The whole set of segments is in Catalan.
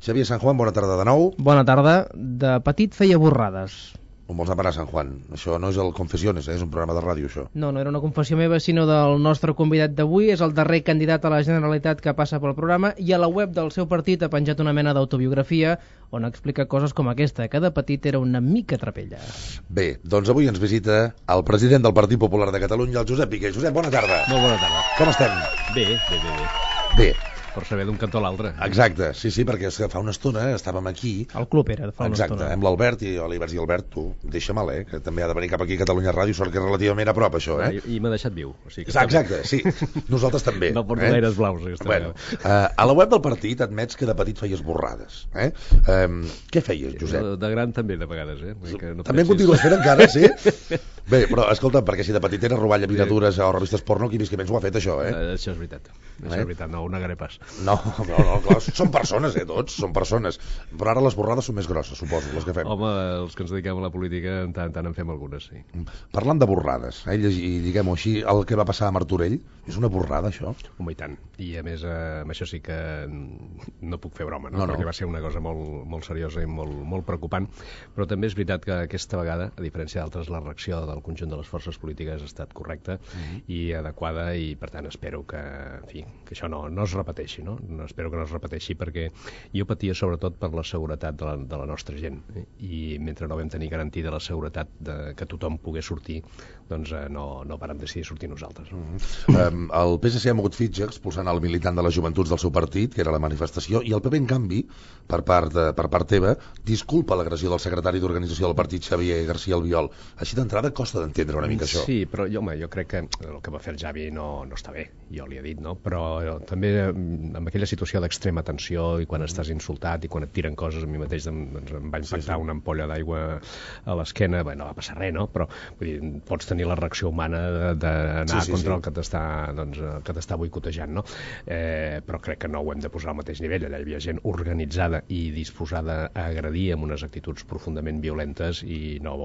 Xavier San Juan, bona tarda de nou. Bona tarda. De petit feia borrades. On vols anar, Sant Juan? Això no és el Confessiones, és un programa de ràdio, això. No era una confessió meva, sinó del nostre convidat d'avui. És el darrer candidat a la Generalitat que passa pel programa i a la web del seu partit ha penjat una mena d'autobiografia on explica coses com aquesta, que de petit era una mica trapella. Bé, doncs avui ens visita el president del Partit Popular de Catalunya, el Josep Piqué. Josep, bona tarda. Molt bona tarda. Com estem? Bé. Per saber d'un cantó a l'altre. Exacte, sí, perquè fa una estona estàvem aquí. El club era, fa una estona. Exacte, amb l'Albert, i jo li vaig dir, Albert, tu, deixa mal, que també ha de venir cap aquí a Catalunya Ràdio, sort que és relativament a prop, això, I m'ha deixat viu. O sigui que exacte, sí, nosaltres també. No porto gaires blaus, aquesta bueno, a la web del partit admets que de petit feies borrades. Què feies, Josep? De gran també, de vegades, No també en continues fent encara, sí? Bé, però escolta, perquè si de petit era robar llaminatures o revistes porno, qui visquements ho ha fet, això, Això és veritat. Això és veritat, no ho negaré pas. No, clar, són persones, tots, són persones. Però ara les borrades són més grosses, suposo, les que fem. Home, els que ens dediquem a la política, en tant en fem algunes, sí. Parlant de borrades, i diguem-ho així, el que va passar a Martorell, és una borrada, això? Home, i tant. I a més, amb això sí que no puc fer broma, no? Perquè va ser una cosa molt seriosa i molt preocupant. Però també és veritat que aquesta vegada, a diferència d'altres, la reacció del conjunt de les forces polítiques ha estat correcta i adequada, i per tant espero que, en fi, que això no es repeteixi, no? Espero que no es repeteixi, perquè jo patia sobretot per la seguretat de la nostra gent, i mentre no vam tenir garantida la seguretat que tothom pogués sortir, doncs no vàrem decidir sortir nosaltres. El PSC ha mogut fitxa expulsant el militant de les joventuts del seu partit, que era la manifestació, i el PP, en canvi, per part teva, disculpa l'agressió del secretari d'organització del partit, Xavier García Albiol. Així d'entrada costa d'entendre una mica això. Sí, però jo crec que el que va fer el Xavi no està bé, jo li he dit, no? Però també amb aquella situació d'extrema tensió i quan estàs insultat i quan et tiren coses, a mi mateix em va impactar una ampolla d'aigua a l'esquena. Bé, no va passar res, no? Però vull dir, pots tenir la reacció humana d'anar contra el que t'està boicotejant, no? Però crec que no ho hem de posar al mateix nivell. Allà hi havia gent organitzada i disposada a agredir amb unes actituds profundament violentes, i no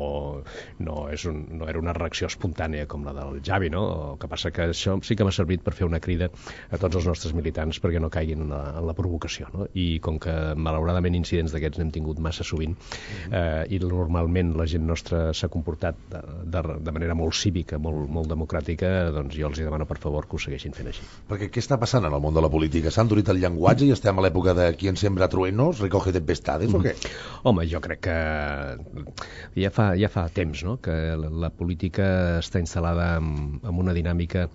era una reacció espontània com la del Xavi, no? El que passa que això sí que m'ha servit per fer una crida a tots els nostres militants perquè no caiguin en la provocació, no? I com que malauradament incidents d'aquests n'hem tingut massa sovint, i normalment la gent nostra s'ha comportat de manera molt cívica, molt democràtica, doncs jo els demano per favor que ho segueixin fent així. Perquè què està passant en el món de la política? S'ha endurit el llenguatge i estem a l'època de qui ens sembra truenos, recoge tempestades, o què? Home, jo crec que ja fa temps, no?, que la política està instal·lada en una dinàmica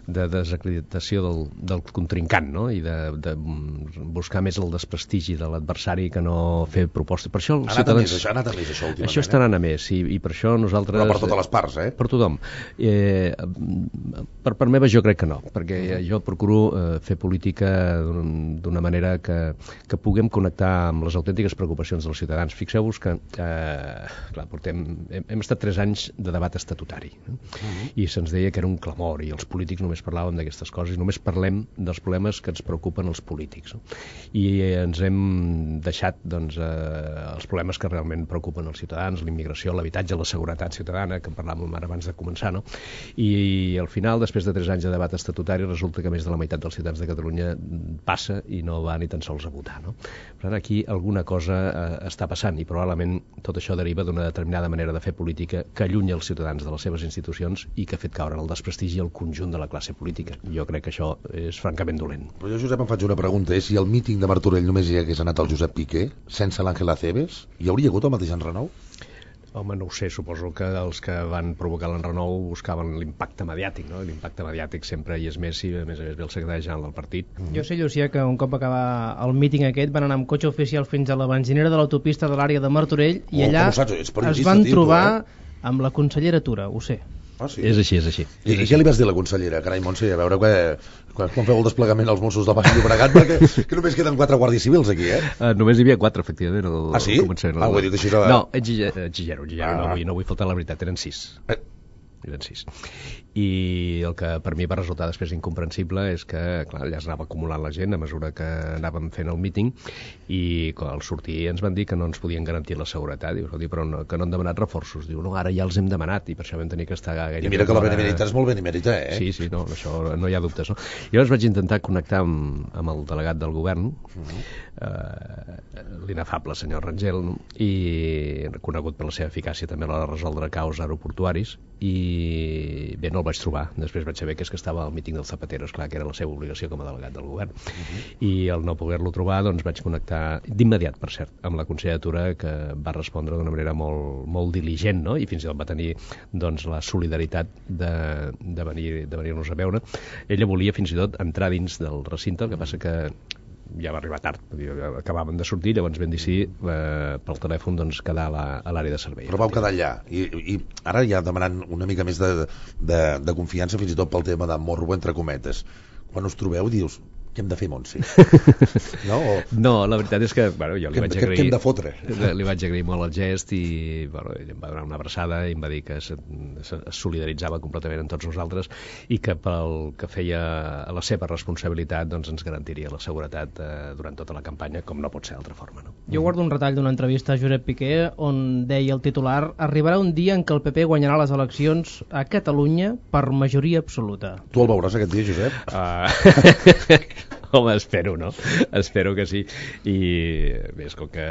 de desacreditació del contrincant, no?, i de buscar més el desprestigi de l'adversari que no fer propostes. Per això ha anat a més això últimament. Això està anant a més, i per això nosaltres... Però per totes les parts, Per tothom. Per part meva jo crec que no, perquè jo procuro fer política d'una manera que puguem connectar amb les autèntiques preocupacions dels ciutadans. Fixeu-vos que hem estat 3 anys de debat estatutari, i se'ns deia que era un clamor i els polítics només parlàvem d'aquestes coses i només parlem dels problemes que ens preocupen els polítics, no? I ens hem deixat els problemes que realment preocupen els ciutadans, l'immigració, l'habitatge, la seguretat ciutadana, que en parlàvem ara abans de començar, no? I al final, després de 3 anys de debat estatutari, resulta que més de la meitat dels ciutadans de Catalunya passa i no va ni tan sols a votar, no? Per tant, aquí alguna cosa està passant, i probablement tot això deriva d'una determinada manera de fer política que allunya els ciutadans de les seves institucions i que ha fet caure en el desprestigi el conjunt de la classe política. Jo crec que això és francament dolent. Però jo, Josep, em faig una pregunta, si al míting de Martorell només hi hagués anat el Josep Piqué, sense l'Àngel Acebes, hi hauria hagut el mateix enrenou? Home, no ho sé, suposo que els que van provocar l'enrenou buscaven l'impacte mediàtic, no? L'impacte mediàtic sempre hi és més, si a més ve el secretari general del partit. Jo sé, Llucià, que un cop acabar el míting aquest van anar amb cotxe oficial fins a la benzinera de l'autopista de l'àrea de Martorell i allà es van trobar amb la consellera Tura, ho sé. Ah, sí? És així. I què li vas dir a la consellera? Carai, Montse, a veure quan feu el desplegament als Mossos del Baix Llobregat, perquè que només queden 4 guàrdies civils aquí, Només hi havia 4, efectivament. Ah, sí? Ho he dit així. No, exigero, no vull faltar la veritat, eren 6. Eren 6. I el que per mi va resultar després incomprensible és que, clar, allà es anava acumulant la gent a mesura que anàvem fent el míting, i al sortir ens van dir que no ens podien garantir la seguretat. Diu, però que no han demanat reforços. Diu, no, ara ja els hem demanat, i per això vam tenir que estar gairebé... I mira que la benemeritat és molt benemèrita, Sí, no, això no hi ha dubtes, no? Jo vaig intentar connectar amb el delegat del govern, l'inefable senyor Rangel, no? I reconegut per la seva eficàcia també a l'hora de resoldre caos aeroportuaris, i bé, no el vaig trobar. Després vaig saber que estava al míting del Zapatero, esclar, que era la seva obligació com a delegat del govern. I al no poder-lo trobar, doncs vaig connectar d'immediat, per cert, amb la consellera Tura, que va respondre d'una manera molt diligent, no? I fins i tot va tenir doncs, la solidaritat de venir-nos a veure. Ella volia fins i tot entrar dins del recinte, el que passa que ja va arribar tard, acabàvem de sortir, llavors vam decidir pel telèfon doncs, quedar a l'àrea de servei. Però vau quedar allà, i ara ja demanant una mica més de confiança, fins i tot pel tema de morro, entre cometes. Quan us trobeu dius, què hem de fer, Montse? No, la veritat és que bueno, jo li vaig agrair... Què hem de fotre? Li vaig agrair molt el gest i bueno, ell em va donar una abraçada i em va dir que es solidaritzava completament amb tots nosaltres i que pel que feia a la seva responsabilitat doncs ens garantiria la seguretat durant tota la campanya, com no pot ser d'altra forma. No? Jo guardo un retall d'una entrevista a Josep Piqué on deia el titular: arribarà un dia en què el PP guanyarà les eleccions a Catalunya per majoria absoluta. Tu el veuràs aquest dia, Josep? Home, espero, no? Espero que sí. I bé, com que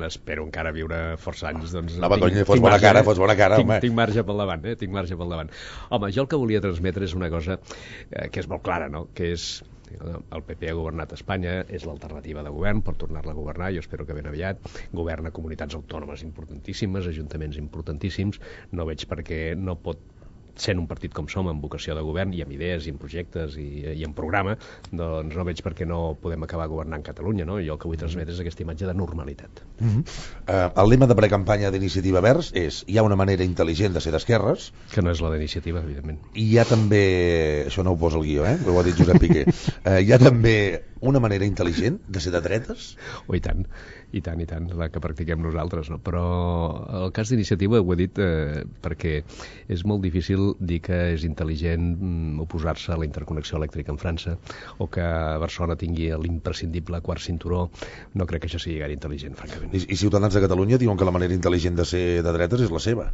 espero encara viure força anys, doncs... No, fos bona cara, home. Tinc marge pel davant, tinc marge pel davant. Home, jo el que volia transmetre és una cosa que és molt clara, no? Que és... El PP ha governat Espanya, és l'alternativa de govern, per tornar-la a governar, jo espero que ben aviat, governa comunitats autònomes importantíssimes, ajuntaments importantíssims, no veig per què no pot sent un partit com som, amb vocació de govern i amb idees i amb projectes i amb programa, doncs no veig per què no podem acabar governant Catalunya, no? Jo el que vull transmetre és aquesta imatge de normalitat. El lema de precampanya d'Iniciativa Verds és: hi ha una manera intel·ligent de ser d'esquerres, que no és la d'Iniciativa, evidentment. I hi ha també, això no ho posa el guió, ho ha dit Josep Piqué, hi ha també una manera intel·ligent de ser de dretes? Oh, i tant, la que practiquem nosaltres, no? Però el cas d'Iniciativa ho he dit perquè és molt difícil dir que és intel·ligent oposar-se a la interconnexió elèctrica en França o que Barcelona tingui l'imprescindible quart cinturó. No crec que això sigui gaire intel·ligent, francament. I Ciutadans de Catalunya diuen que la manera intel·ligent de ser de dretes és la seva.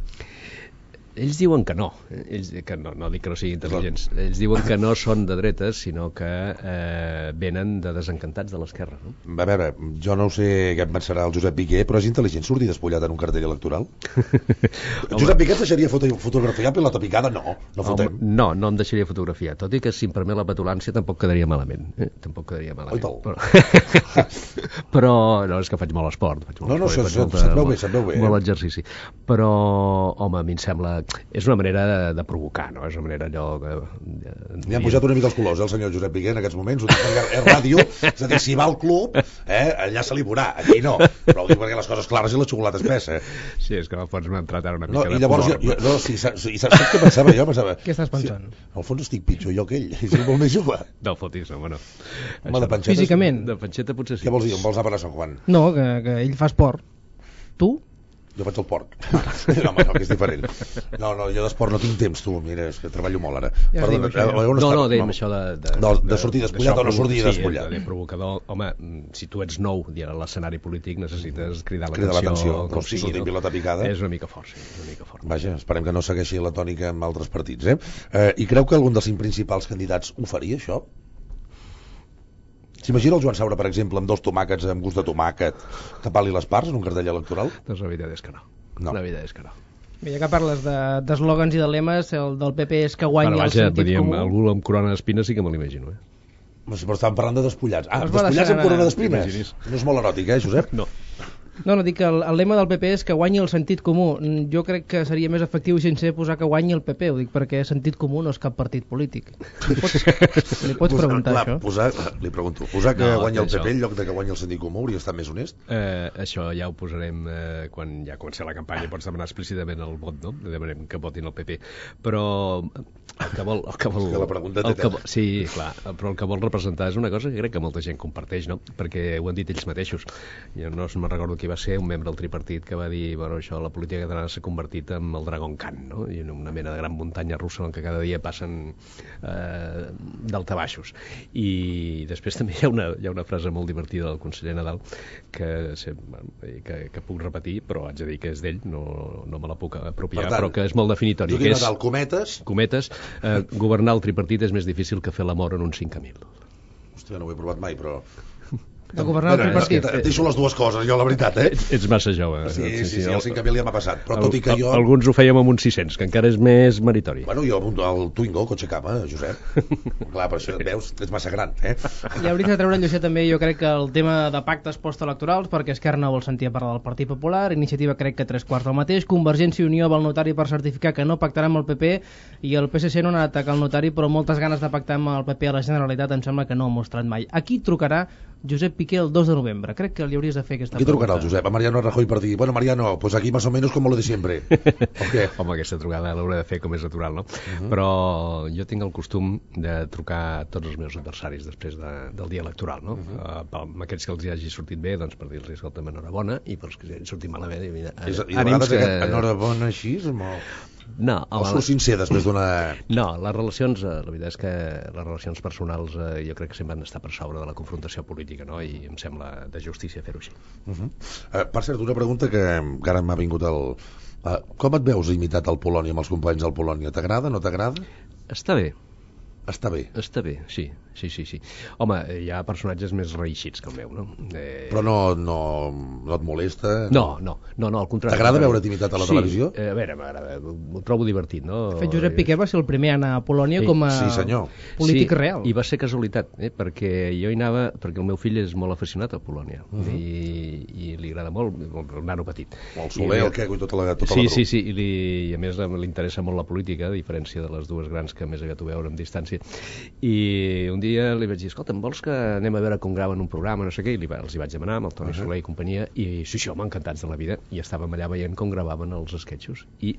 Ells diuen que no, que no dic que no siguin intel·ligents, ells diuen que no són de dretes, sinó que venen de desencantats de l'esquerra, no? A veure, jo no ho sé què en pensarà el Josep Piqué, però és intel·ligent sortir despullat en un cartell electoral? Josep Piqué et deixaria fotografiar pilota picada? No fotem. No em deixaria fotografiar, tot i que si em permet la petulància tampoc quedaria malament. Tampoc quedaria malament. Però no, és que faig molt esport. Se't veu bé. Molt exercici. Però, home, a mi em sembla... És una manera de provocar, no? És una manera allò... Li han pujat una mica els colors, el senyor Josep Piqué, en aquests moments. És ràdio, és a dir, si va al club, allà se li veurà, aquí no. Però ho dic perquè les coses clares i la xocolata espessa. Sí, és que al fons m'ha entrat ara una mica de pudor. I llavors, saps què pensava jo? Què estàs pensant? Al fons estic pitjor jo que ell, és molt més jove. No fotis, home, no. Home, de panxeta... Físicament? De panxeta potser sí. Què vols dir? On vols anar per a Sant Juan? No, que ell fa esport. Tu? Jo faig el porc. No, home, no, que és diferent. No, jo d'esport no tinc temps, tu. Mira, és que treballo molt ara. Ja dèiem això de sortir despullat o no sortir despullat. Sí, de provocador. Home, si tu ets nou i a l'escenari polític necessites cridar l'atenció. Com si sortir pilota picada. És una mica fort, sí. Una mica fort. Vaja, esperem que no segueixi la tònica amb altres partits, I creu que algun dels 5 principals candidats ho faria, això? S'imagina el Joan Saura, per exemple, amb 2 tomàquets amb gust de tomàquet, tapant-li les parts en un cartell electoral? Doncs la veritat és que no. La veritat és que no. Bé, ja que parles d'eslògans i de lemes, el del PP és que guanya el sentit comú. Algú amb corona d'espines sí que me l'imagino, Però estàvem parlant de despullats. Despullats amb corona d'espines? No és molt eròtic, Josep? No. No, dic que el lema del PP és que guanyi el sentit comú. Jo crec que seria més efectiu i sincer posar que guanyi el PP, ho dic perquè sentit comú no és cap partit polític. Li pots preguntar això? Li pregunto, posar que guanyi el PP en lloc de que guanyi el sentit comú hauria estat més honest? Això ja ho posarem quan ja comenci la campanya, pots demanar explícitament el vot, no? Demanem que votin el PP. Però el que vol... la pregunta té sí, clar, però el que vol representar és una cosa que crec que molta gent comparteix, no? Perquè ho han dit ells mateixos. Jo no me'n recordo qui va ser un membre del tripartit que va dir, bueno, això, la política catalana s'ha convertit en el Dragon Khan, no? I en una mena de gran muntanya russa en què cada dia passen daltabaixos. I després també hi ha una frase molt divertida del conseller Nadal que puc repetir, però haig de dir que és d'ell, no me la puc apropiar, però que és molt definitori. Jo dic Nadal, cometes. Governar el tripartit és més difícil que fer l'amor en un 5 a 1000. Hòstia, no ho he provat mai, però... De governar el tripartit. Deixo les dues coses, jo, la veritat, Ets massa jove. Sí, el 5.000 ja m'ha passat, però tot i que jo... Alguns ho fèiem amb un 600, que encara és més meritori. Bueno, jo el Twingo, cotxe cama, Josep. Clar, per això, veus, ets massa gran, I hauries de treure, Llucià, també, jo crec que el tema de pactes postelectorals, perquè Esquerra no vol sentir a parlar del Partit Popular, Iniciativa crec que 3/4 del mateix, Convergència i Unió va al notari per certificar que no pactarà amb el PP, i el PSC no ha anat a atacar el notari, però moltes ganes de pactar amb el PP a la Generalitat em sembla que no ha mostrat mai. Aquí trucarà Josep Piqué el 2 de novembre. Crec que li hauries de fer aquesta pregunta. Qui trucarà el Josep? A Mariano Rajoy per dir, bueno, Mariano, pues aquí más o menos como lo de siempre. Okay. Home, aquesta trucada l'hauré de fer com és natural, no? Però jo tinc el costum de trucar a tots els meus adversaris després del dia electoral, no? Amb aquests que els hi hagi sortit bé, doncs per dir-los, escolta'm, enhorabona, i per els que hagi sortit malament, i de vegades enhorabona així, no, o sou sincer després d'una... No, les relacions, la veritat és que les relacions personals jo crec que sempre han d'estar per sobre de la confrontació política, no? I em sembla de justícia fer-ho així. Per cert, una pregunta que encara m'ha vingut com et veus imitat al Polònia, amb els companys del Polònia? T'agrada, no t'agrada? Està bé. Està bé? Està bé, sí. Home, hi ha personatges més reeixits que el meu, no? Però no et molesta? No, al contrari. T'agrada veure't imitat a la televisió? A veure, m'agrada, ho trobo divertit, no? De fet, Josep Piqué va ser el primer a anar a Polònia com a polític real. I va ser casualitat, perquè jo hi anava, perquè el meu fill és molt aficionat a Polònia, i li agrada molt, el nano petit. El Soler, el Queco i tota la truca. Sí, i a més li interessa molt la política, a diferència de les dues grans que més aviat ho veuen amb distància. I un dia li vaig dir, escolta, vols que anem a veure com graven un programa, no sé què, i els hi vaig demanar amb el Toni Soler i companyia, i sí, home, encantats de la vida, i estàvem allà veient com gravaven els esquetxos, i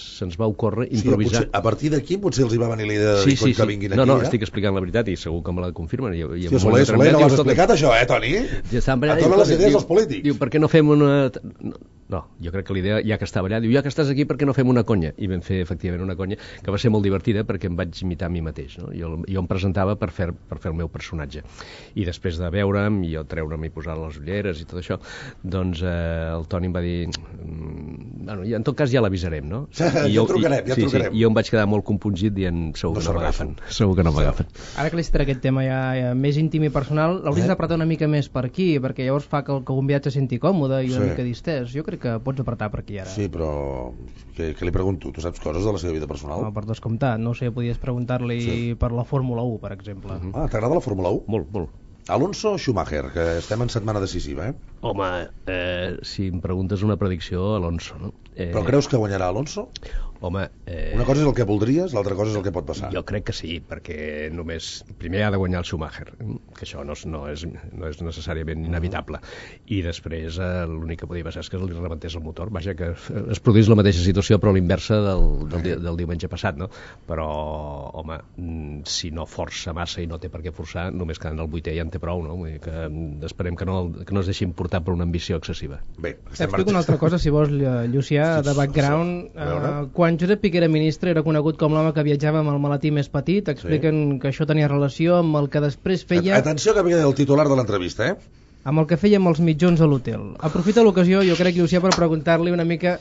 se'ns va ocórrer improvisar. A partir d'aquí potser els hi va venir la idea de dir que vinguin aquí. No, estic explicant la veritat i segur que me la confirmen. Soler, no l'has explicat això, Toni? A totes les idees dels polítics. Diu, per què no fem una... No, jo crec que l'idea, ja que estava allà, diu, ja que estàs aquí, per què no fem una conya? I vam fer, efectivament, una conya que va ser molt divertida perquè em vaig imitar a mi mateix, no? Jo em presentava per fer el meu personatge. I després de veure'm, i jo treure'm i posar les ulleres i tot això, doncs el Toni em va dir... Bueno, en tot cas ja l'avisarem, no? Ja trucarem. I jo em vaig quedar molt compungit dient, segur que no m'agafen. Ara que li citaré aquest tema ja més íntim i personal, l'hauries d'apretar una mica més per aquí, perquè llavors fa que el convidat se senti còmode i una mica distès. Jo crec que pots apretar per aquí ara. Sí, però què li pregunto? Tu saps coses de la seva vida personal? No, per descomptat. No sé, podies preguntar-li per la Fórmula 1, per exemple. T'agrada la Fórmula 1? Molt. Alonso o Schumacher, que estem en setmana decisiva, Home, si em preguntes una predicció, Alonso, no? Però creus que guanyarà Alonso? Home... Una cosa és el que voldries, l'altra cosa és el que pot passar. Jo crec que sí, perquè primer ha de guanyar el Schumacher, que això no és necessàriament inevitable, i després l'únic que podia passar és que li rebentés el motor, vaja, que es produís la mateixa situació però a l'inversa del diumenge passat, no? Però, home, si no força massa i no té per què forçar, només quedant el 8è ja en té prou, no? Vull dir que esperem que no es deixin portar per una ambició excessiva. Bé, t'explico una altra cosa, si vols, Llucià, de background. Quan Josep Piqué era ministre era conegut com l'home que viatjava amb el maletí més petit. Expliquen que això tenia relació amb el que després feia... Atenció, que ve el titular de l'entrevista, amb el que feia amb els mitjons a l'hotel. Aprofita l'ocasió, jo crec, Llucià, per preguntar-li una mica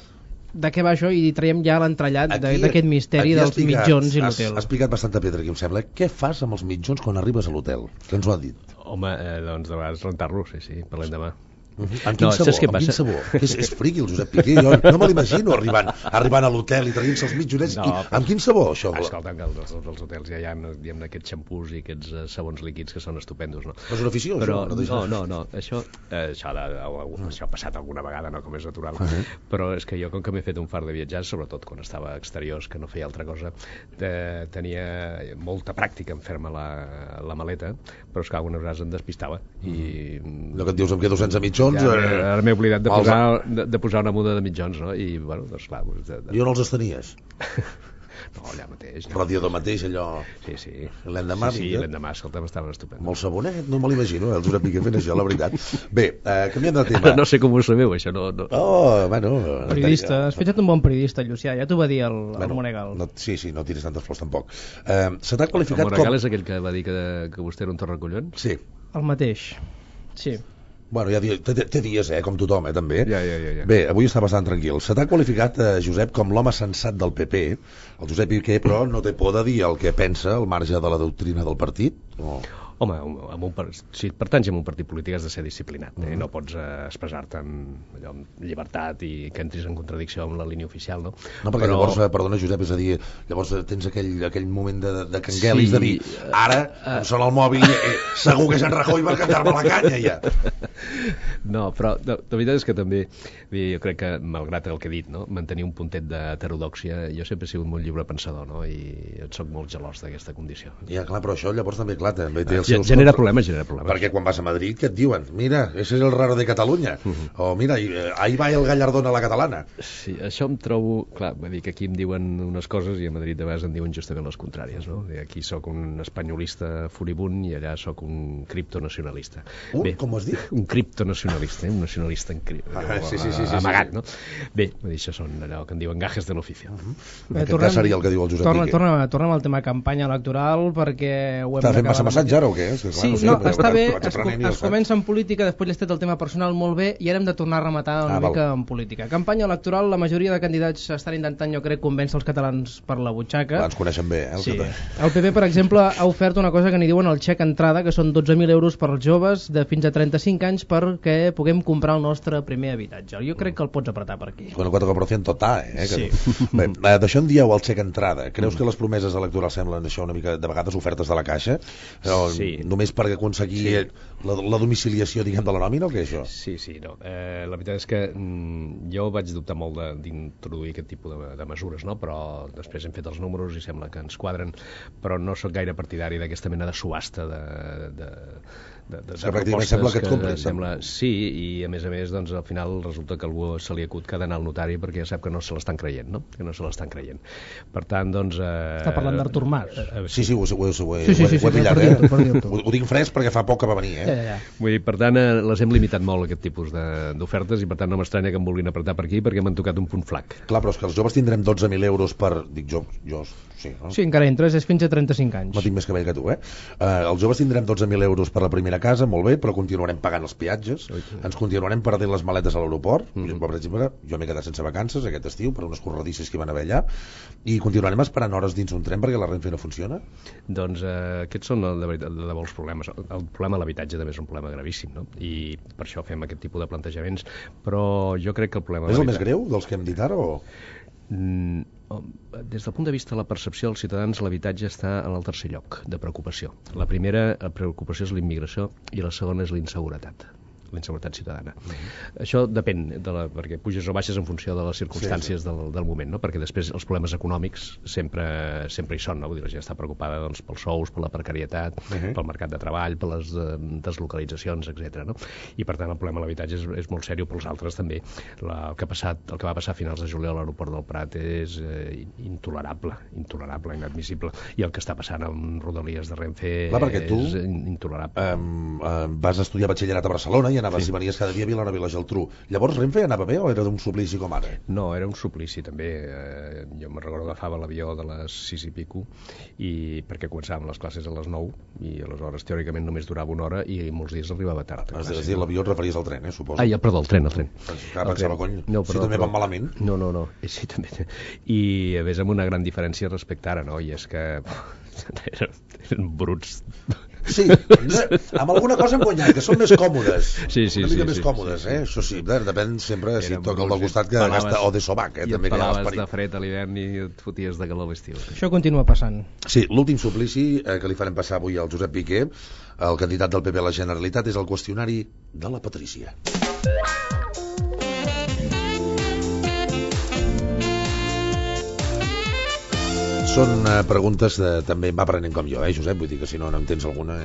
de què va això i traiem ja l'entrellat d'aquest misteri dels mitjons i l'hotel. Has picat bastanta pedra aquí, em sembla. Què fas amb els mitjons quan arribes a l'hotel? Què ens ho ha dit? Home, doncs de vegades rentar-los, sí, parlem demà. Amb quin sabor? És friqui el Josep Piqué, jo no me l'imagino arribant a l'hotel i traient-se els mitjonets. Amb quin sabor, això? Escolta, que als hotels ja hi ha aquests xampús i aquests sabons líquids que són estupendos, no? És una afició, això? No, això ha passat alguna vegada, no, com és natural, però és que jo, com que m'he fet un fart de viatjar, sobretot quan estava a exteriors, que no feia altra cosa, tenia molta pràctica en fer-me la maleta, però és que algunes vegades em despistava. Allò que et dius, em quedo sense mitjons. Ara m'he oblidat de posar una muda de mitjons, no? I, bueno, doncs clar... Jo no els tenies? No, allà mateix. Radiador mateix, allò... Sí. L'endemà? Sí, l'endemà, escolta, estaven estupendos. Molt sabonet, no me l'imagino, el Josep Piqué fent això, la veritat. Bé, canviem de tema. No sé com ho sabeu, això, no... Oh, bueno... Periodista, has fet un bon periodista, Llucià, ja t'ho va dir el Monegal. Sí, no tiris tantes flors, tampoc. Se t'ha qualificat com... El Monegal és aquell que va dir que vostè era un torracollons? Sí. El mateix, sí. Bueno, ja té dies, com tothom, també. Ja. Bé, avui està bastant tranquil. Se t'ha qualificat, Josep, com l'home sensat del PP. El Josep Piqué, però, no té por de dir el que pensa al marge de la doctrina del partit? Home, si pertanys a un partit polític has de ser disciplinat, no pots expressar-te amb llibertat i que entris en contradicció amb la línia oficial, no? No, perquè llavors, perdona Josep, és a dir, llavors tens aquell moment de canguelis, de dir, ara em sona el mòbil, segur que és en Rajoy per cantar-me la canya, ja. No, però la veritat és que també, jo crec que, malgrat el que he dit, no, mantenir un puntet d'heterodòxia, jo sempre he sigut molt lliure pensador, no? I soc molt gelós d'aquesta condició. Ja, clar, però això llavors també, clar, també té genera problemes. Perquè quan vas a Madrid, què et diuen? Mira, ese es el raro de Catalunya. O mira, ahí va el Gallardón a la catalana. Sí, això em trobo... Clar, vull dir que aquí em diuen unes coses i a Madrid de vegades em diuen justament les contràries, no? Aquí sóc un espanyolista furibund i allà sóc un criptonacionalista. Com has dit? Un criptonacionalista, un nacionalista amagat, no? Bé, això són allò que en diuen gajes de l'oficio. En aquest cas seria el que diu el Josep Piqué. Tornem al tema campanya electoral perquè ho hem d'acabar. T'has fet massa massatge ara o què? Sí, no, està bé, es comença en política, després l'he estat el tema personal molt bé i ara hem de tornar a rematar una mica en política. Campanya electoral, la majoria de candidats estan intentant, jo crec, convèncer els catalans per la butxaca. Ens coneixen bé, sí. El PP, per exemple, ha ofert una cosa que n'hi diuen el xec entrada, que són 12.000 euros per als joves de fins a 35 anys perquè puguem comprar el nostre primer habitatge. Jo crec que el pots apretar per aquí. Con el 4% total, Sí. Bé, d'això en dieu el xec entrada. Creus que les promeses electorals semblen això una mica, de vegades, ofertes de la caixa? Sí. Només per aconseguir la domiciliació, diguem, de la nòmina o què, això? Sí, no. La veritat és que jo vaig dubtar molt d'introduir aquest tipus de mesures, no? Però després hem fet els números i sembla que ens quadren, però no sóc gaire partidari d'aquesta mena de subhasta de pràcticament sembla que et comprin. Sí, i a més, doncs, al final resulta que algú se li acut que ha d'anar al notari perquè ja sap que no se l'estan creient, no? Que no se l'estan creient. Per tant, doncs... Està parlant d'Artur Mas. Sí, ho he pillat, Ho tinc fresc perquè fa poc que va venir, Ja. Vull dir, per tant, les hem limitat molt, aquest tipus d'ofertes, i per tant no m'estranya que em vulguin apretar per aquí perquè m'han tocat un punt flac. Clar, però és que els joves tindrem 12.000 euros per... Dic jo, sí, no? Sí, encara entres, és fins a 35 anys. No tinc més cabell que tu, Els joves tindrem 12.000 euros per la primera casa, molt bé, però continuarem pagant els peatges, ens continuarem perdent les maletes a l'aeroport. Per exemple, jo m'he quedat sense vacances aquest estiu per unes corredisses que hi van haver allà, i continuarem esperant hores dins un tren perquè la Renfe no funciona. Doncs aquests són de debò els problemes. El problema de l'habitatge també és un problema gravíssim, no? I per això fem aquest tipus de plantejaments, però jo crec que el problema... És el més greu dels que hem dit ara, o...? Des del punt de vista de la percepció dels ciutadans, l'habitatge està en el tercer lloc de preocupació. La primera preocupació és la immigració i la segona és la inseguretat ciutadana. Això depèn, perquè puges o baixes en funció de les circumstàncies del moment, no? Perquè després els problemes econòmics sempre hi són, no? Vull dir, la gent està preocupada, doncs, pels sous, per la precarietat, pel mercat de treball, per les deslocalitzacions, etc. No? I per tant el problema de l'habitatge és molt seriós, pels altres també. El que va passar a finals de juliol a l'aeroport del Prat és intolerable, inadmissible. I el que està passant amb Rodalies de Renfe és intolerable. Vas estudiar batxillerat a Barcelona i anaves i venies cada dia a Vilanova i la Geltrú. Llavors Renfe anava bé o era d'un suplici com ara? No, era un suplici també. Jo me'n recordo que agafava l'avió de les 6 i pico perquè començàvem les classes a les 9 i aleshores teòricament només durava una hora i molts dies arribava tard. És a dir, l'avió et referies al tren, suposo. Perdó, el tren. Pensava, cony, si també van malament. No. Sí, també. I a més amb una gran diferència respecte ara, no? I és que eren bruts. Sí, amb alguna cosa hem guanyat, que són més còmodes. Una mica més còmodes, Això sí, depèn sempre si et toca el del costat que gasta o de sobac, I et pelaves de fred a l'hivern i et foties de calor a l'estiu. Això continua passant. Sí, l'últim suplici que li farem passar avui al Josep Piqué, el candidat del PP a la Generalitat, és el qüestionari de la Patrícia. Són preguntes també m'aprenent com jo, Josep, vull dir que si no entens alguna,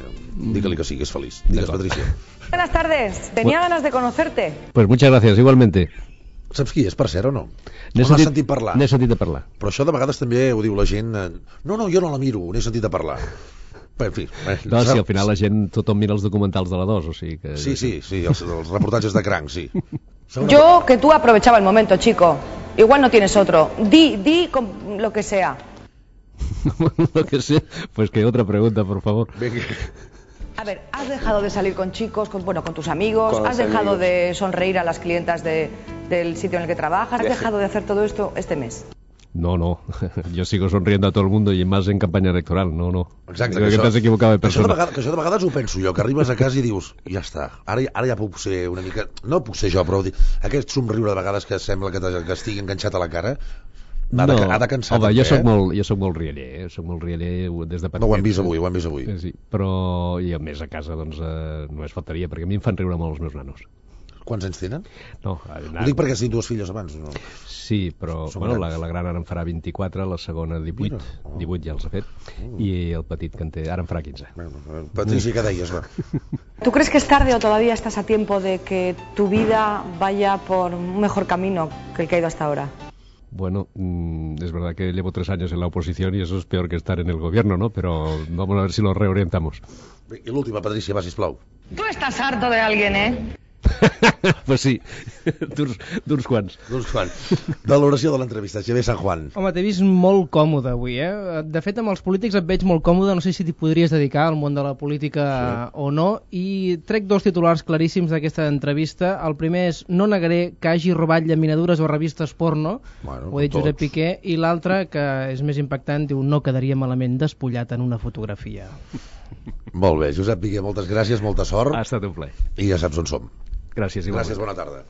digue-li que sigues feliç. Digues, Patricia. Buenas tardes, tenía ganas de conocerte. Pues muchas gracias, igualmente. Saps qui és, per cert, o no? N'has sentit parlar? N'he sentit a parlar. Però això de vegades també ho diu la gent... No, jo no la miro, n'he sentit a parlar. En fi. No, si al final la gent, tothom mira els documentals de la 2, o sigui que... Sí, els reportatges de cranc, sí. Yo que tú aprovechaba el momento, chico. Igual no tienes otro. Di con lo que sea. Lo que sea, pues que otra pregunta, por favor. A ver, ¿has dejado de salir con chicos, con tus amigos? ¿Has dejado de sonreír a las clientas del sitio en el que trabajas? ¿Has dejado de hacer todo esto este mes? No. Yo sigo sonriendo a todo el mundo y más en campaña electoral. No. Exacte, Creo que t'has equivocat de persona. Que això de vegades ho penso jo, que arribes a casa i dius, ja està, ara ja puc ser una mica... No puc ser jo, però aquest somriure de vegades que sembla que estigui enganxat a la cara ha de cansar. Home, jo soc molt rialler, soc molt rialler des de petit. No, ho hem vist avui. Sí, però i a més a casa doncs només faltaria, perquè a mi em fan riure molt els meus nanos. Quants anys tenen? No, ho dic perquè has dit dues filles abans. No? Sí, però la gran ara en farà 24, la segona 18, 18 ja els ha fet, i el petit que en té, ara en farà 15. Patricia, ¿qué deies, va? ¿Tú crees que es tarde o todavía estás a tiempo de que tu vida vaya por un mejor camino que el que ha ido hasta ahora? Bueno, es verdad que llevo 3 años en la oposición y eso es peor que estar en el gobierno, ¿no? Pero vamos a ver si lo reorientamos. I l'última, Patricia, va, sisplau. Tú estás harto de alguien, ¿eh? Pues sí, d'uns quants. Valoració de l'entrevista, Xavier San Juan. Home, t'he vist molt còmode avui, eh? De fet, amb els polítics et veig molt còmode, no sé si t'hi podries dedicar al món de la política o no, i trec 2 titulars claríssims d'aquesta entrevista. El primer és: no negaré que hagi robat llaminadures o revistes porno, ho ha dit Josep Piqué, i l'altre, que és més impactant, diu: no quedaria malament despullat en una fotografia. Molt bé, Josep Piqué, moltes gràcies, molta sort. Ha estat un plaer. I ja saps on som. Gràcies, igualment. Gràcies, bona tarda.